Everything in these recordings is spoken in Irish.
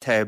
Tá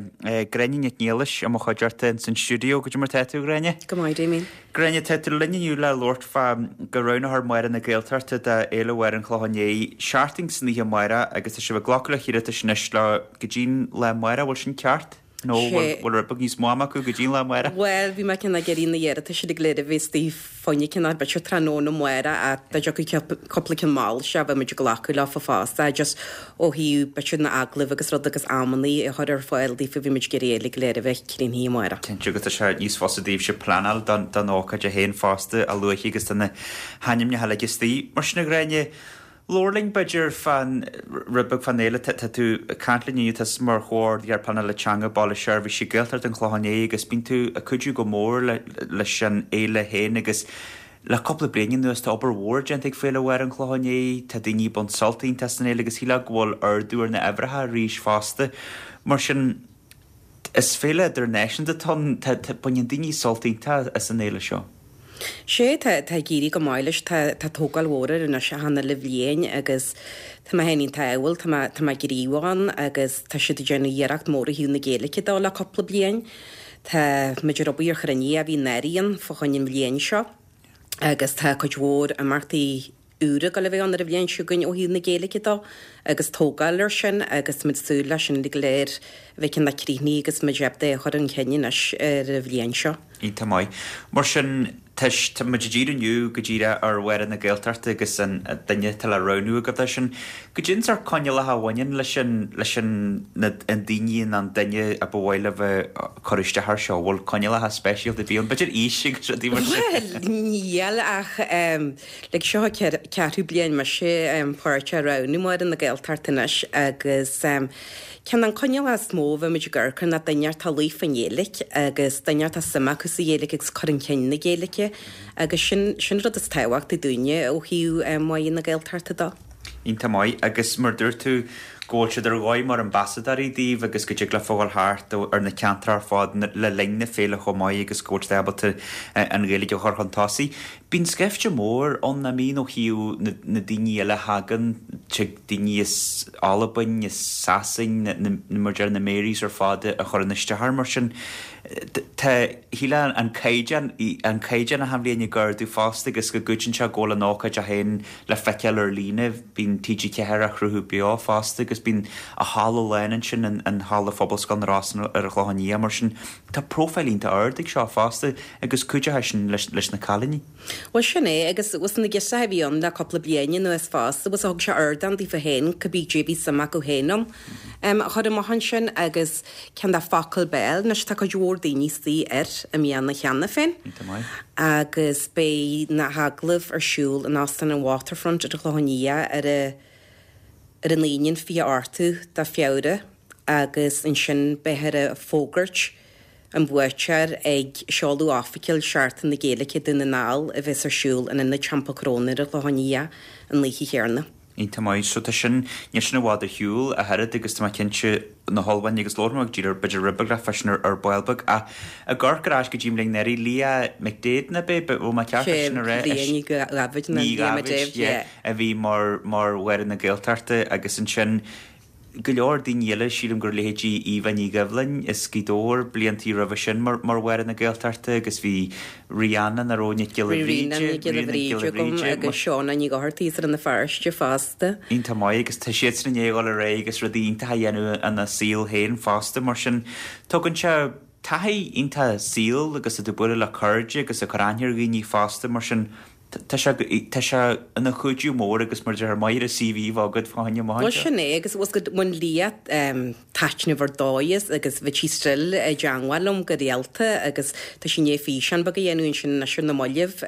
Gráinne Nic Niallais i mo chuideachta ins an stiúideo. Goidé mar tá tú, a Ghráinne? Go maith, Damien. Gráinne, tá tú linn inniu le labhairt fá go roghnófar Máire na Gaeltachta do Fhéile Mháire an Chlocháin Léith, seachtain san oíche amárach agus tá sibh ag glacadh le hiarratais anois le go dtí'n lá amárach, bhfuil sin ceart? Nó bhfuil rud beag níos mó ama acu go dtí'n lá amárach? Bhuel, bhí mé cineál ag iarraidh na hiarratais uilig go léir a bheith istigh fá choinne cineál b'fhéidir tráthnóna amárach ach dá dtiocfadh cúpla ceann mall isteach bheadh muid ag glacadh leofa fosta just ó thaobh b'fhéidir na agallaimh agus rud agus amannaí a chur ar fáil daofa bhí muid ag iarraidh uilig go léir a bheith críochnaithe amárach. Cinnte agus tá sé níos fusa daoibhse pleanáil don ócáid féin fosta a luaithe agus tá na hainmneacha uilig istigh. Mar sin a Ghráinne, Labhair linn, b'fhéidir, fán, rud beag fán fhéile. Tá tú ag caint linn inniu, tá tusa mar Chomhordaitheoir Pleanála Teanga Baile Seirbhíse Gaeltacht an Chlocháin Léith agus bíonn tú ag cuidiú go mór leis an fhéile féin agus le cúpla bliain anuas tá obair mhór déanta ag Féile Mháire an Chlocháin Léith, tá daoine ag baint sult iontach as an fhéile agus shílfeá go bhfuil ardú ar na huimhreacha arís fosta. Mar sin, Is féile idirnáisiúnta atá ann. Tá, baineann daoine sult iontach as an fhéile seo. Sea, tá, tá ag éirí go maith leis. Tá, tá tógáil mhór air anois achan uile bhliain agus tá mé féin iontach ádhúil, tá mé, tá mé gníomhach ann agus tá siad ag déanamh iarracht mór ó thaobh na Gaeilge de le cúpla bliain. Tá muid ar obair ar chruinnithe a bhí anuraidh ann fá choinne an bhliain seo agus tá cuid mhór imeachtaí úra ag dul a bheith ann ar an bhliain seo chugainn ó thaobh na Gaeilge de agus tógáil air sin agus tá muid ag súil leis sin uilig go léir a bheith cineál críochnaithe agus muid ábalta é a chur chun cinn anois ar an bhliain seo. Iontach maith. Mar sin, tá tá muid ag díriú inniu go díreach ar Mháire na Gaeltachta agus an duine atá le roghnú agaibh dó sin. Goidé an sórt coinníollacha a bhaineann leis an leis an na an daoine nó an duine a ba mhaith libh a cur isteach air seo? Bhfuil coinníollacha speisialta ar bith ann? B'fhéidir aois agus rudaí mar sin? Bhuel, níl ach Like seo an ceathrú bliain mise páirteach i roghnú Máire na Gaeltachta anois agus ceann de na coinníollacha is mó a bheidh muid ag amharc air ná duine atá líofa i nGaeilge agus duine atá suim acu sa Ghaeilge agus cur chun cinn na Gaeilge agus sin sin rud is tábhachtaí dúinne ó thaobh Máire na Gaeltachta de. Iontach maith. Agus mar dúirt tú go bhfuil siad ar dhóigh mar ambasadóirí daoibh agus go dtig leofa dhul thart ar na ceantair ar fad le linn na féile chomh maith agus go bhfuil siad ábalta an Ghaeilge a chur chun tosaigh. Bíonn scaifte mór ann, nach mbíonn, ó thaobh na daoine eile a thagann, tig daoine as Albain, as Sasain, mar a deir na Marys ar fad a chuireann isteach air mar sin. Tá, shílfeá an caighdeán, an caighdeán achan bhliain ag ardú fosta agus go gcuidíonn sé go bhfuil an ócáid féin le feiceáil ar líne, bíonn TG4 á shruthú beo fosta agus bíonn an halla lán ansin in Halla Phobalscoil na Rosann ar an Chlochán Liath mar sin. Tá profile iontach ard ag seo fosta agus cuideoidh sin leis na cailíní. Bhuel sin é agus bhfuil na girseacha a bhí ann le cúpla bliain anuas fosta bhfuil thug sé ardán daofa féin cibé cé bhí suim acu féin ann a chur amach ansin agus ceann de focal béil anois tá cuid mhór daoine istigh air i mbliana cheana féin Iontach maith. agus beidh na hagallaimh ar siúl in Óstán an Waterfront ar an Chlochán Liath ar a ar an Aoine an 28ú de Feabhra agus ansin beifear ag fógairt an bhuaiteoir ag seoladh oifigiúil Seachtain na Gaeilge Dún na nGall a bheas ar siúl in Ionad Teampall Chrónáin ar an Chlochán Liath an oíche chéanna. Iontach maith. So tá sin, níl sin i bhfad ar shiúl ach oiread agus tá mé cinnte na hullmhúcháin agus labhróidh muid go díreach b'fhéidir rud beag leat fá sin ar ball beag ach ag amharc ar ais go dtí an bhliain anuraidh, Leah McDaid ná b'é, bhfuil mé ceart é sin a rá? Leah Ní Dháibhid nó Ní Leah McDaid, Dháibhid, yeah, a bhí mar mar Mháire na Gaeltachta agus ansin go leor daoine eile, sílim gur leithéidí Eva Ní Dhoibhlin as Gaoth Dobhair bliantaí roimhe sin mar mar Mháire na Gaeltachta agus bhí Rihanna nach raibh Nic Giolla Bhí Bhríde, Ríona Nic Giolla Ríona Nic Bhríde Giolla agam Bhríde, agus Shauna Ní Dhochartaigh as Rann na Feirste fosta. Iontach maith agus tá siadsan i ndiaidh a dhul ar aghaidh agus rudaí iontacha a dhéanamh ina saol féin fosta mar sin tugann sé taithí iontach saoil agus tá tú ag bualadh le cairde agus ag cur aithne ar dhaoine fosta mar sin tá sé tá sé ina chuidiú mór agus mar a déarfá maith ar an CV a bheith agat fá choinne amach Bhuel anseo. sin é agus bhfuil go bhain Leah taitneamh ar dóigh as agus bhí sí still i dteangmháil liom go rialta agus tá sí i ndiaidh físeán beag a dhéanamh ansin anois ar na mallaibh.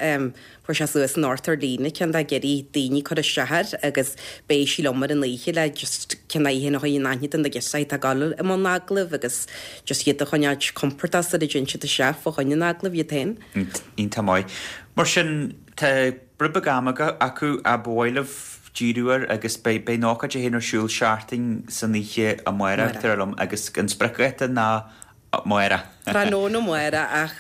Fuair sé suas anocht ar líne ceann dá iarraidh daoine cur isteach air agus beidh sí liom ar an oíche le just ceann í féin a chur in aithne do na girseachaí atá ag dul i mbun agallaimh agus just iad a choinneáilt compordach sula dtéann siad isteach fá choinne an agallaimh iad féin. Iontach maith. Mar sin, tá rud beag ama acu ach ba mhaith libh díriú air agus beidh beidh an ócáid féin ar siúl seachtain san oíche amárach, dar liom, agus an spriocdháta ná. Amárach. Tráthnóna amárach ach.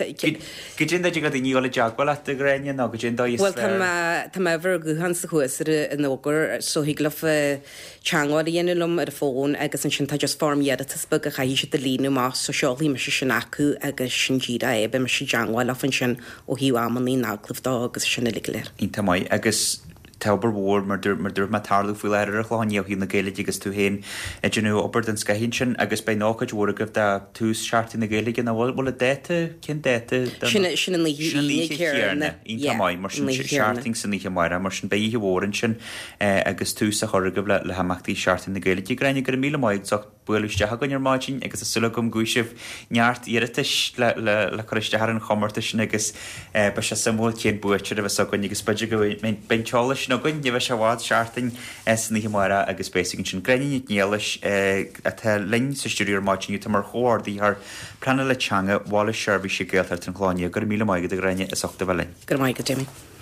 Goidé an dóigh a dtig le daoine dul i dteagmháil leat, a Ghráinne, nó goidé an dóigh is fearr? Bhuel, tá mé, tá m'uimhir ghutháin sa chuas ar an fhógra so thig leofa teagmháil a dhéanamh liom ar an bhfón agus ansin tá just foirm iarratais beag a chaithfidh siad a líonadh amach so seolfaidh mise sin acu agus sin díreach é, beidh mise i dteagmháil leofa ansin ó thaobh amannaí na n-agallamh dó agus sin uilig go léir. Iontach maith. Agus tá obair mhór, mar mar dúirt mé, ag tarlú faoi láthair ar an Chlochán Liath ó thaobh na Gaeilge agus tú féin ag déanamh obair den scoith ansin agus beidh an ócáid mhór agaibh do tús Seachtain na Gaeilge nó bhfuil bhfuil an dáta, cén dáta don Sin sin an oíche Sin an oíche chéanna. Iontach maith. Mar sin seachtain san oíche amárach. Mar sin beidh oíche mhór ansin agus tús á chur agaibh le himeachtaí Seachtain na Gaeilge. Gráinne, go raibh míle maith agat as ucht bualadh isteach chugainn ar maidin agus tá súil agam go bhfaighidh sibh neart iarratais le cur isteach ar an chomórtas sin agus beidh sé suimiúil cén buaiteoir a bheas againn agus b'fhéidir go mbeidh an t-eolas sin againn, ní bheidh sé i bhfad, seachtain san oíche amárach agus beidh a fhios againn sin. Gráinne Nic Niallais atá linn sa stiúideo ar maidin inniu, atá mar chomhordaitheoir pleanála teanga Bhaile Seirbhíse Gaeltacht an Chlocháin Léith. Go raibh míle maith agat a Ghráinne as ucht a bheith linn. Go raibh maith agat, Jamie.